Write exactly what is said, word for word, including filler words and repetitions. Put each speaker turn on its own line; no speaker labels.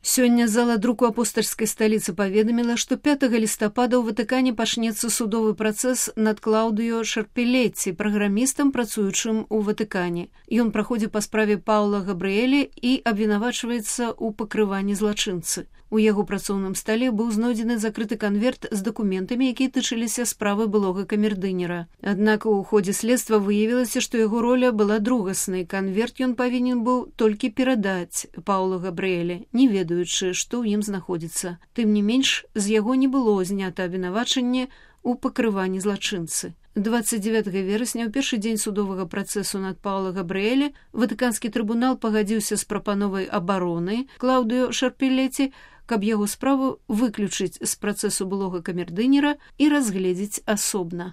Сёння зала друку апостальскай сталіцы паведаміла, што пятага лістапада ў Ватыкане пачнецца судовы працэс над Клаўдыё Шарпелеці, праграмістам, працуючым у Ватыкане. Ён праходзіць па справе Паўла Габрыэлі і абвінавачваецца ў пакрыванні злачынцы. У яго працоўным стале быў знойдзены закрыты канверт з дакументамі, якія тычыліся справы былога камердынера. Аднак у ходзе следства выявілася, што яго роля была другаснай. Канверт ён павінен быў толькі перадаць Паўлу Габрыэлі, не ведаючы, што ў ім знаходзіцца. Тым не менш, з яго не было знята абвінавачанне ў пакрыванні злачынцы. дваццаць дзевятага верасня, у першы дзень судовага працэсу над Паўла Габрыэлі, Ватыканскі трыбунал пагадзіўся з прапановай абароны Клаўдыё Шарпелеці, каб яго справу выключыць з працэсу былога камердынера і разгледзець асобна.